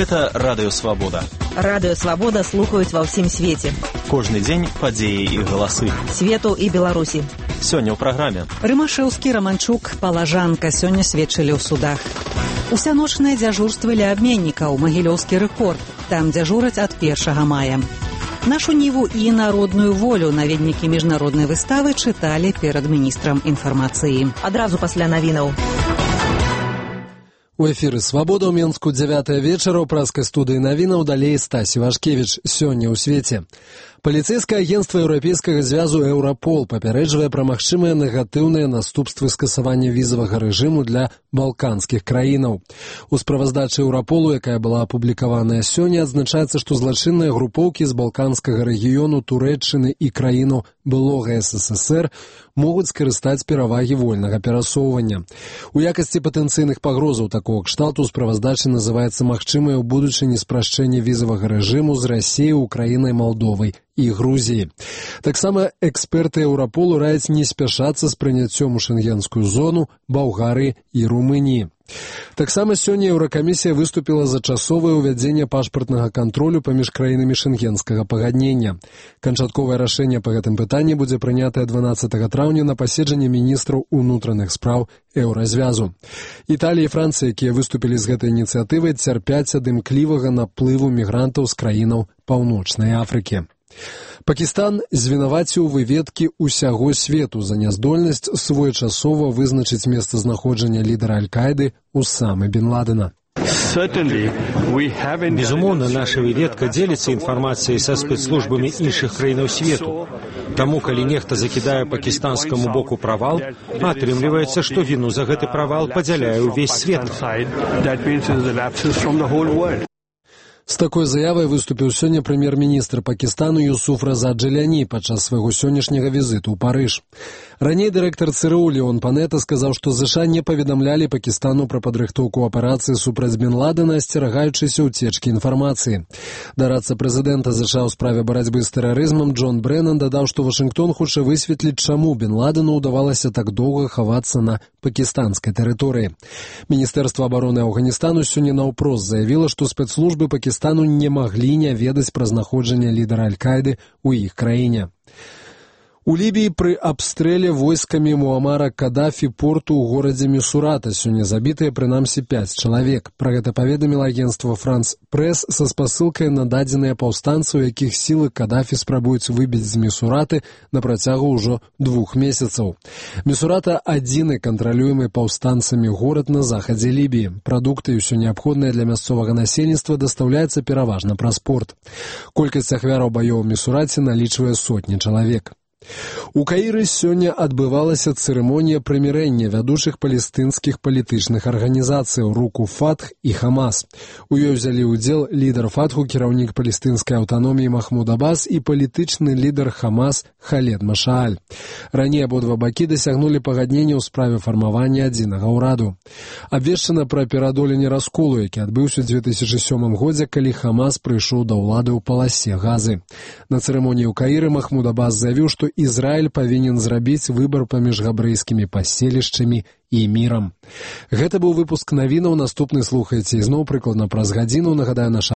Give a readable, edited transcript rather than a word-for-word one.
Гэта Радыё Свабода. Радыё Свабода слухаюць ва ўсім свеце. Кожны дзень падзеі і галасы. Свету і Беларусі. Сёння ў праграме. Рымашэўскі, Раманчук, Палажанка сёння сведчылі ў судах. Усяночныя дзяжурствы ля абменнікаў, Магілёўскі рэкорд. Там дзяжураць ад 1 мая. Нашу ніву і народную волю наведнікі міжнароднай выставы чыталі перад міністрам інфармацыі. Адразу пасля навінаў. У эфіры «Свабода» ў Менску 9 вечара ў праскай студыі навінаў далей Стасі Вашкевіч. Сёння ў свеце. Паліцэйскае агенцтва Еўрапейскага звязу «Еўрапол» папярэджвае пра магчымыя негатыўныя наступствы скасавання візавага рэжыму для балканскіх краінаў. У справаздачы «Еўраполу», якая была апублікаваная сёння, адзначаецца, што злачынныя групоўкі з балканскага рэгіёну Турэччыны і краіну былога СССР могуць скарыстаць перавагі вольнага перасоўвання. У якасці патэнцыйных пагрозаў такого кшталту ў справаздачы называецца магчымае ў будучыні спрашчэнне візавага рэжыму з Расіяй, Украінай, Малдовай і Грузіі. Таксама эксперты Еўраполу раяць не спяшацца з прыняццём у шэнгенскую зону Балгарыі і Румыніі. Таксама сёння Еўракамісія выступіла за часовае ўвядзенне пашпартнага кантролю паміж краінамі шэнгенскага пагаднення. Канчатковае рашэнне па гэтым пытанні будзе прынятае 12 траўня на паседжанні міністраў унутраных спраў Еўразвязу. Італія і Францыя, якія выступілі з гэтай ініцыятывай, цярпяць ад імклівага наплыву мігрантаў з краінаў Паўночнай Афрыкі. Пакістан звінаваціў выведкі ўсяго свету за няздольнасць своечасова вызначыць месцазнаходжанне лідара Аль-Каіды Усамы бен Ладена. Безумоўна, наша выведка дзеліцца інфармацыяй са спецслужбамі іншых краінаў свету. Таму, калі нехта закідае пакістанскаму боку правал, атрымліваецца, што віну за гэты правал падзяляе ўвесь свет. З такой заявай выступіў сёння прэм'ер-міністр Пакістану Юсуф Раза Джаляні падчас свайго сённяшняга візіту ў Парыж. Раней дырэктар ЦРУ Леон Панета сказаў, што ЗША не паведамлялі Пакістану пра падрыхтоўку аперацыі супраць бен Ладена, асцерагаючыся ўцечкі інфармацыі. Дарадца прэзідэнта ЗША ў справе барацьбы з тэрарызмам Джон Брэнан дадаў, што Вашынгтон хоча высветліць, чаму бен Ладену ўдавалася так доўга хавацца на пакістанскай тэрыторыі. Міністэрства абароны Афганістану сёння наўпрост заявіла, што спецслужбы Пакістану не маглі не ведаць пра знаходжанне лідара Аль-Каіды ў іх краіне. У Лібіі пры абстрэле войскамі Муамара Кадафі порту ў горадзе Місурата сёння забітыя прынамсі 5 чалавек. Пра гэта паведаміла агенцтва Франс Прэс са спасылкай на дадзеныя паўстанцаў, якіх сілы Кадафі спрабуюць выбіць з Місураты на працягу ўжо 2 месяцаў. Місурата – адзіны кантралюемы паўстанцамі горад на захадзе Лібіі. Прадукты і ўсё неабходнае для мясцовага насельніцтва дастаўляецца пераважна праз порт. Колькасць ахвяраў баёў у Місураце налічвае сотні чалавек. У Каіры сёння адбывалася цырымонія прымірэння вядучых палестынскіх палітычных арганізацыяў Руку Фатх і Хамас. У ёй узялі ўдзел лідар Фатху, кіраўнік палестынскай аўтаноміі Махмуд Аббас і палітычны лідар Хамас Халед Машааль. Раней абодва бакі дасягнулі пагаднення ў справе фармавання адзінага ўраду. Абвешчана пра пераадоленне расколу, які адбыўся ў 2007 годзе, калі Хамас прыйшоў да ўлады ў паласе Газы. На цырымоніі ў Каіры Махмуд Аббас заявіў, што Ізраіль павінен зрабіць выбар паміж габрэйскімі паселішчамі і мірам. Гэта быў выпуск навінаў. Наступны слухайце ізноў прыкладна праз гадзіну. Нагадаю, наша